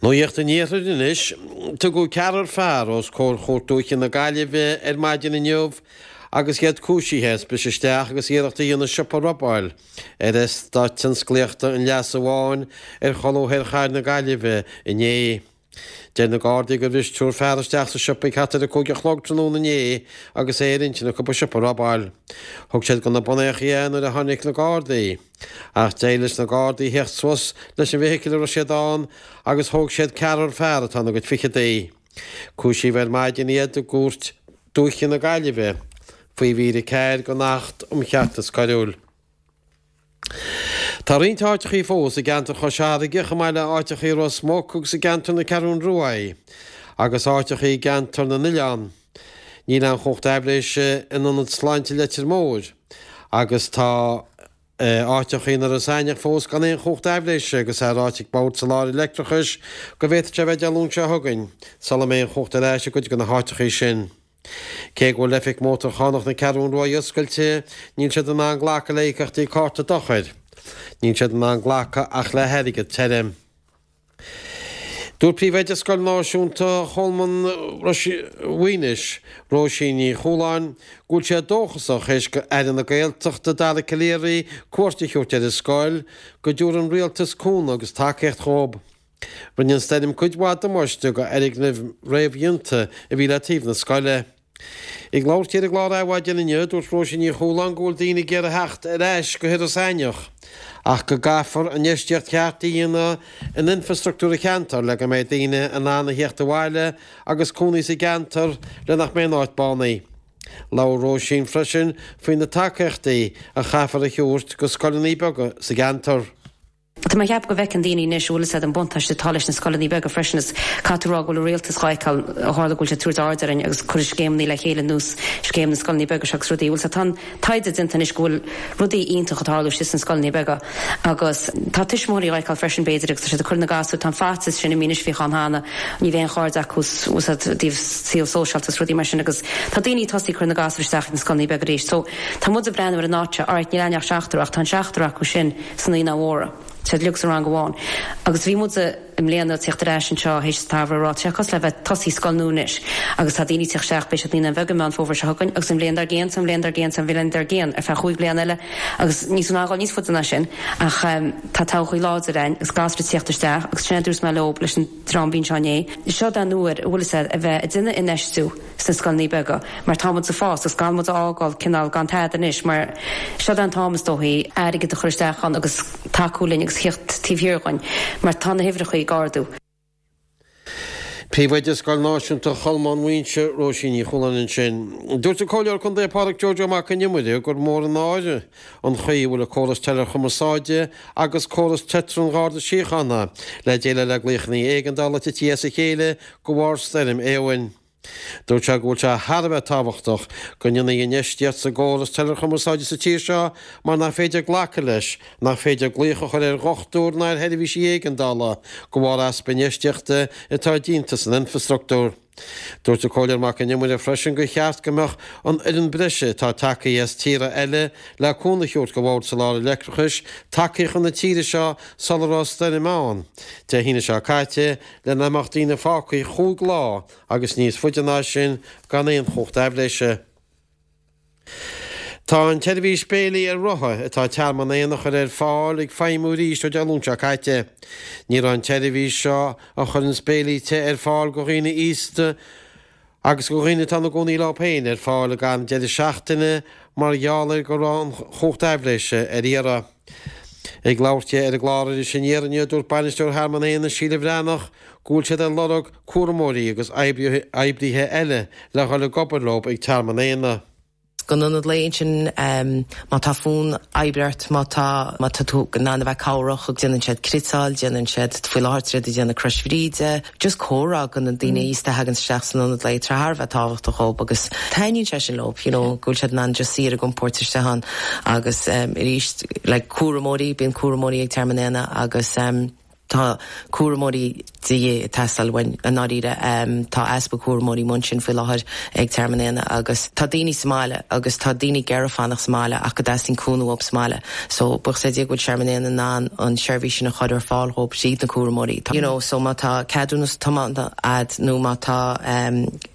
Nuacht an Iarthair anois. Tugadh ceathrar fear os comhair Chúirt Dúiche na Gaillimhe ar maidin inniu agus iad cúisithe as briseadh isteach agus iarracht a dhéanamh siopa a robáil ar Eastát Tionsclaíochta an Leasa Bháin ar cholbha thoir chathair na Gaillimhe inné. Deir na Gardaí gur bhris triúr fear isteach sa siopa ag thart ar 5 a chlog tráthnóna inné agus é ar intinn acu an siopa a robáil. Thug siad go na bonnachaí é nuair a tháinig na Gardaí. Ach d'éirigh leis na Gardaí theacht suas leis an bhfeithicil a raibh siad ann agus thóg siad ceathrar fear atá ina gcuid ficheadaí. Cúisíodh ar maidin iad i gCúirt Dúiche na Gaillimhe faoi mhír 4 den Acht um Cheartas Coiriúil. Tá roinnt áiteachaí fós i gceantar Chois Fharraige, chomh maith le áiteachaí Ros Muc agus i gceantar na Ceathrún Ruaidh, agus áiteachaí i gceantar na nOileán. Níl aon chumhacht aibhléise in Ionad Sláinte Leitir Móir, agus tá áiteachaí in Iorras Aithneach fós gan aon chumhacht aibhléise agus é ráite ag Bord Soláthair Leictreachais go bhféadfadh sé a bheith Dé Luain seo chugainn sula mbeidh an chumhacht ar ais i gcuid de na háiteachaí sin. Cé go bhfuil oifig mótarchánach na Ceathrún Ruaidh oscailte, níl siad in ann glacadh le íocaíochtaí cárta dochair. Níl siad in ann glacadh ach le hairgead tirim. Dúirt Príomhoide Scoil Náisiúnta Cholmáin Mhaoinis, Róisín Ní Chualáin, go bhfuil sé dóchasach, théis do Aire na Gaeltachta Dara Calleary cuairt a thabhairt ar an scoil, go dtabharfaidh an Rialtas cúnamh agus tacaíocht dhóibh. Rinne an stoirm cuid mhaith damáiste do fhoirgnimh réamhdhéanta a bhí le taobh na scoile. Ag labhairt di ar an gclár Adhmhaidin inniu, dúirt Róisín Ní Chualáin go bhfuil daoine ag iarraidh theacht ar ais go hIorras Aithneach ach go gcaithfear infheistíocht cheart a dhéanamh in infreastruchtúr an cheantair le go mbeidh daoine in ann a theacht abhaile agus cónaí sa gceantar le nach mbeidh an áit bánaithe. Labhair Róisín freisin faoi na tacaíochtaí a chaithfear a thabhairt go scoileanna beaga sa gceantar. Tá mé ag ceapadh go bhfeiceann daoine anois, bhfuil fhios a'd, an buntáiste atá leis na scoileanna beaga freisin is caithfidh tú a rá go bhfuil an rialtas dhá fheiceáil, ó tharla go bhfuil sé ag tabhairt aird orainn agus cuireadh scéimeanna le chéile ar nós scéim na scoileanna beaga seo agus rudaí, bhfuil fhios a'd, tá an taighde déanta anois go bhfuil rudaí iontach ag tarlú istigh sna scoileanna beaga agus tá tuismitheoirí dhá fheiceáil freisin b'fhéidir agus tá siad ag cur na gasúir, tá an faitíos sin imithe anois a bhíodh ann cheana, ní bheidh aon chairde acu bhfuil fhios a'd, i dtaobh saol sóisialta is rudaí mar sin agus tá daoine ag tosaí ag cur na gasúir isteach ag na scoileanna beaga arís so tá muid ag breathnú ar an áit seo, alright níl againn ach seachtar ach tá an seachtar acu sin sna Naíonáin Mhóra. Tá siad uilig sa rang amháin. Agus bhí muid i mbliana ag tíocht ar ais anseo théis an tsamhraidh ag rá, tá sé cosúil le bheith ag tosaí scoil nua anois. Agus tá daoine ag tíocht isteach, beidh siad Naíonáin Bheaga i Meán Fómhair seo chugainn agus an bhliain dár gcionn, 's an bhliain dár gcionn, 's an bhliain dár gcionn ar feadh chúig bliana eile agus níl muid in ann dhul níos faide ná sin ach tá todhchaí láidir againn agus gasúir ag tíocht isteach agus sin é a dúirt mé leo leis an dream a bhí anseo inné. Seo é an uair, a bhfuil fhios a'd, a bheith ag déanamh infheistiú. sna scoileanna beaga mar tá muid ag fás agus gan muid a fhágáil cineál gan tada anois mar seo é an t-am is dóichí airgead a chur isteach ann agus tacú linn agus theacht taobh thiar dhúinn mar tá na huimhreacha ag ardú. Príomhoide Scoil Náisiúnta Cholmáin Mhaínse, Róisín Ní Chualáin ansin. Dúirt an Comhairleoir Contae Pádraig Joe Joe Mac Con Iomaire gur mór an náire an chaoi a bhfuil an córas teileachumarsáide agus córas Tetra an Gharda Síochána le déileáil le glaochanna éigeandála tití as a chéile de bharr stoirm Éowyn. Dúirt sé go bhfuil sé thar a bheith tábhachtach go ndéanfaí infheistíocht sa gcóras teileachumarsáide sa tír seo mar nach féidir glacadh leis nach féidir glaoch a chur ar dhochtúir ná ar sheirbhísí éigeandála de bharr easpa infheistíochta atá déanta san infreastruchtúr. Dúirt an Comhairleoir Mac Con Iomaire freisin gur cheart go mbeadh an fhoireann breise atá tagtha as tíortha eile le cúnamh a thabhairt do Bhord Soláthair Leictreachais tagtha chun na tíre seo sula raibh stoirm ann Dé hAoine seo caite le nach mbeadh daoine fágtha chúig lá agus níos faide ná sin gan aon chumhacht aibhléise. Tá an tseirbhís béilí ar rothaí atá Tearmann Éanna a chur ar fáil ag feidhmiú arís ó Dé Luain seo caite. Ní raibh an tseirbhís seo a chuireanns béilí te ar fáil go dhaoine aosta agus go dhaoine atá ina gcónaí leo féin ar fáil ag an deireadh seachtaine mar gheall ar go raibh an chumhacht aibhléise ar iarraidh. Ag labhairt di ar an gclár Iris Aniar inniu, dúirt Bainisteoir Thearmann Éanna, Síle Bhreathnach, go bhfuil siad ag lorg cúramóirí agus oibrithe eile le dhul ag obair leo ag Tearmann Éanna. Don ionad lae ansin, má tá fonn oibre ort, má tá, má tá tú in ann a bheith cabhrach, déanann siad cniotáil, déanann siad, faoi láthair tá siad ag déanamh Crois Bhríde, just comhrá go na daoine aosta a thagann isteach san ionad lae, tá sé thar a bheith tábhachtach dhób agus taitníonn sé sin leo, you know, go bhfuil siad in ann just suí ar a gcompord istigh ann agus arís, like cúramóirí, bíonn cúramóirí ag Tearmann Éanna agus. Tá cúramóirí de dhíth ag teastáil uainn i ndáiríre. Tá easpa cúramóirí amuigh ansin faoi láthair ag Tearmann Éanna agus tá daoine sa mbaile agus tá daoine ag iarraidh fanacht sa mbaile ach go dteastaíonn cúnamh uathu sa mbaile. So buíochas le Dia go bhfuil Tearmann Éanna in ann an seirbhís sin a chur ar fáil dhóibh tríd na cúramóirí. You know so má tá ceadúnas tiomána a'd nó má tá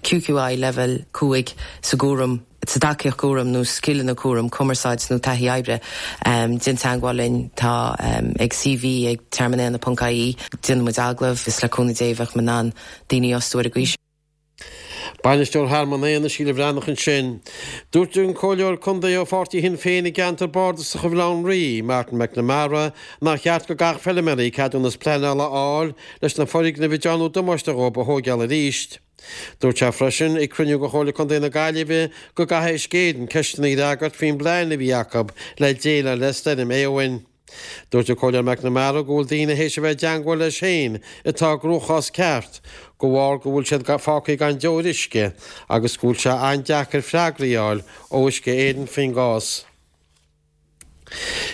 QQI level 5 sa gcúram, sa tacaíocht cúraim nó scileanna cúraim, cumarsáid nó taithí oibre, déan teagmháil linn. Tá ag cv ag tearmannéanna ponc ie. Déanfaidh muid agallamh is le cúnamh Dé bheadh muid in ann daoine a fhostú ar an gcaoi sin. Bainisteoir Thearmann Éanna, Síle Bhreathnach ansin. Dúirt an Comhairleoir Contae ó pháirtí Shinn Féin i gceantar Bardasach Bhaile Átha an Rí, Martin McNamara, nár cheart go gcaithfeadh feilméaraí ceadúnas pleanála a fháil leis na foirgnimh a dearnadh damáiste dhóibh a thóigeáil arís. Dúirt sé freisin ag cruinniú de Chomhairle Contae na Gaillimhe go gcaithfidh Uisce Éireann ceisteanna a fhreagairt faoin bplean a bhí acu le déileáil le Stoirm Éowyn. Dúirt an Comhairleoir McNamara go bhfuil daoine théis a bheith i dteangmháil leis féin atá i gcruachás ceart de bharr go bhfuil siad fágtha gan deoir uisce agus go bhfuil sé an-deacair freagraí a fháil ó Uisce Éireann faoin gcás.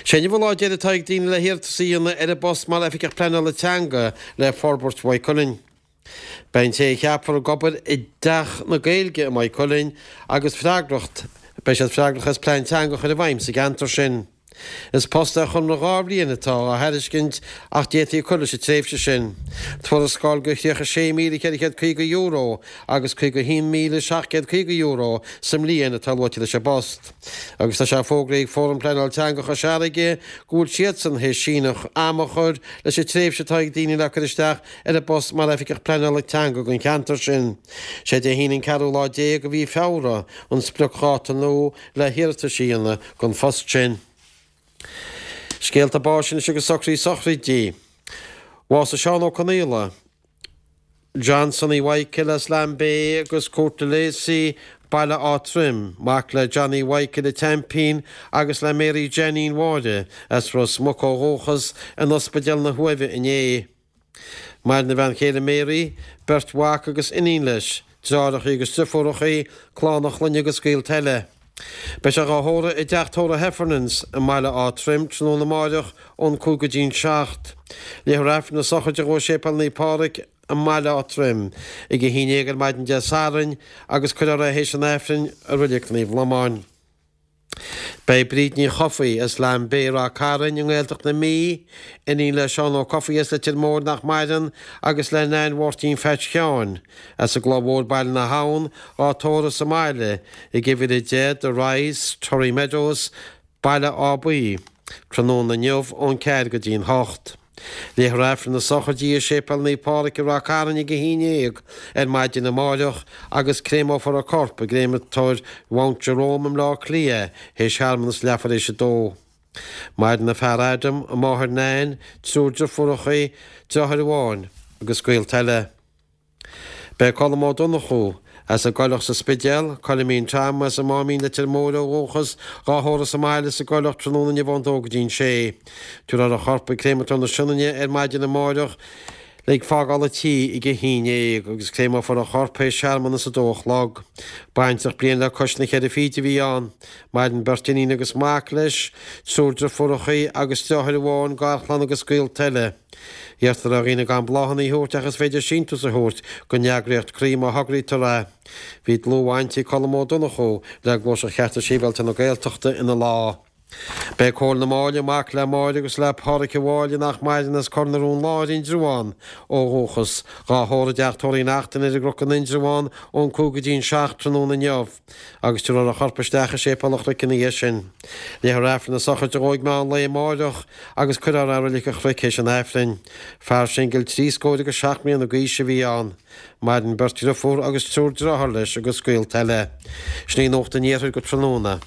Sé inniu an lá deiridh atá ag daoine le hiarratas a dhéanamh ar an bpost mar Oifigeach Pleanála Teanga le Forbairt Mhaigh Cuilinn. Beidh an té a cheapfar ag obair i dTeach na Gaeilge i Maigh Cuilinn agus freagracht, beidh siad freagrach as plean teanga a chur i bhfeidhm sa gceantar sin. Is post ar chonradh 2 bhliain atá á thairiscint ach d'fhéadfaí cur leis an tréimhse sin. Tuarascáil de €36,450 agus €51,750 sa mbliain atá luaite leis an bpost. Agus tá sé fógraithe ag Fóram Pleanála Teanga Chois Fharraige go bhfuil siadsan théis síneadh ama a chur leis an tréimhse atá ag daoine le cur isteach ar an bpost mar Oifigeach Pleanála Teanga don cheantar sin. Sé Dé hAoine an ceathrú lá de mhí Feabhra an spriocdháta nua le hiarratais a dhéanamh don phost sin. Scéalta báis anois agus socruithe sochraidí. Bhásaigh Seán Ó Conaola, John Sonny Mhichael as Lambay agus Cúirt Lacey, Baile Átha Troim, mac le Johnny Mhichael an tSeaimpín agus le Mary Jeanine Mháire as Ros Muc ó dhúchas, in Ospidéal na hUaimhe inné. Maireann a bhean chéile Mary, beirt mhac agus iníon leis, deartháireacha agus driofúracha, clann a chlainne agus gaolta eile. Beidh sé dhá thórramh i dTeach Tórraimh Heffernans i mBaile Átha Troim tráthnóna amáireach ón 5 go dtí'n 7. Léifear Aifreann na sochraide dhó i Séipéal Naomh Pádraig i mBaile Átha Troim ag 11 ar maidin Dé Sathairn agus cuirfear é théis an Aifrinn i Reilig Naomh Lomán. Beidh Bríd Ní Chofaigh as Lambay, Ráth Cairn i nGaeltacht na Mí, iníon le Seán Ó Cofaigh as Leitir Móir nach maireann agus le Nain Mháirtín Pheait Sheáin as an gCloich Mhór Baile na hAbhann, á tórramh sa mbaile ag uimhir 10 The Rise, Torry Meadows, Baile Átha Buí, tráthnóna inniu ón 4 go dtí'n 8. Léifear Aifreann na sochraide i Séipéal Naomh Pádraig i Ráth Cairn ag 11 ar maidin amáireach agus créamófar a corp i gcréamatóir Mount Jerome i mBleá Cliath théis shearmanas leathuair théis a dó. Maireann a fear Adam, a máthair Nan, triúr driofúracha, deartháir amháin agus gaolta eile. Beidh Colm Ó Donnchú, as an gCoileach sa Spidéal, Coilimín Tom as an Máimín Leitir Móir ó dhúchas, dhá thórramh sa mbaile sa gCoileach tráthnóna inniu ón dó go dtí'n sé. Tabharfar a chorp ag Créamatóir na Sionainne ar maidin amáireach le fágáil an tí ag a haon dhéag agus créamófar a chorp théis searmanas a dó a chlog. Baintreach bliain le cois na cheithre fichid a bhí ann. Maireann beirt iníon agus mac leis, triúr driofúracha agus deartháir amháin, garchlann agus gaolta eile. Iarrtar ar dhaoine gan bláthanna a thabhairt ach is féidir síntiús a thabhairt don eagraíocht Croí má thograítear é. Bhí dlúthbhaint ag Colm Ó Donnchú le Gluaiseacht Chearta Sibhialta na Gaeltachta ina lá. Beidh Cóil na Máille, mac le Máire agus le Pádhraic a' Mháille nach maireann as Cor na Rón Láir, Indreabhán ó dhúchas, dhá thórramh i dTeach Tórraimh Uí Neachtain ar an gCnoc in Indreabhán ón 5 go dtí'n 7 tráthnóna inniu. agus tabharfar a chorp isteach i Séipéal an Chnoic ina dhiaidh sin. Léifear Aifreann na sochraide dhó ag meán lae amáireach agus cuirfear é i Reilig an Chnoic théis an Aifrinn. Fear singil 77 mbliana d'aois a bhí ann. Maireann beirt dhriofúr agus triúr dearthár leis agus gaolta eile. Sin í Nuacht an Iarthair go tráthnóna.